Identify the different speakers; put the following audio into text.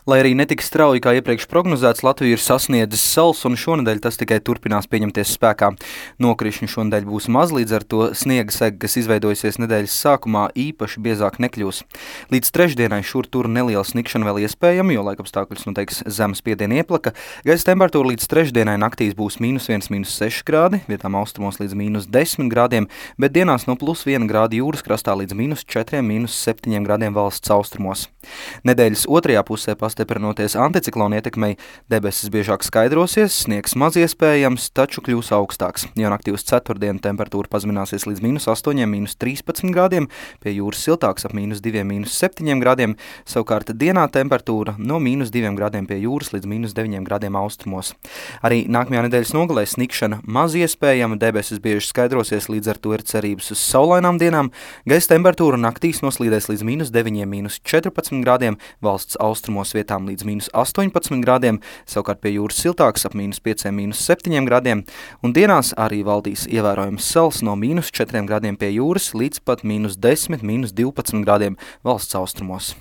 Speaker 1: Lai arī netik strauji kā iepriekš prognozēts, Latvija ir sasniedzis sals, un šonedēļ tas tikai turpinās pieņemties spēkā. Nokrišņi šonedēļ būs maz, līdz ar to sniega sega, kas izveidojusies nedēļas sākumā, īpaši biezāk nekļūs. Līdz trešdienai šur tur neliela snikšana vēl iespējama, jo laikapstākļus noteiks zema spiediena ieplaka. Gaisa temperatūra līdz trešdienai naktīs būs -1, -6 grādi, vietām austrumos līdz -10 grādiem, bet dienās no +1 grādi jūras krastā līdz -4, -7 grādiem valsts austrumos. Nedēļas otrajā pusē pastiprinoties anticiklona ietekmei, debesis biežāk skaidrosies, sniegs maz iespējams, taču kļūs augstāks. Jau naktī uz ceturtdienu temperatūra pazemināsies līdz -8, -13 grādiem, pie jūras siltāks ap -2, -7 grādiem, savukārt dienā temperatūra no -2 grādiem pie jūras līdz -9 grādiem austrumos. Arī nākamajā nedēļas nogalē snikšana maz iespējama, debesis bieži skaidrosies, līdz ar to ir cerības uz saulainām dienām. Gaisa temperatūra naktīs noslīdēs līdz -9, -14 grādiem, valsts austrumos vietām līdz -18 grādiem, savukārt pie jūras siltāks ap -5, -7 grādiem, un dienās arī valdīs ievērojams sals no -4 grādiem pie jūras līdz pat -10, -12 grādiem valsts austrumos.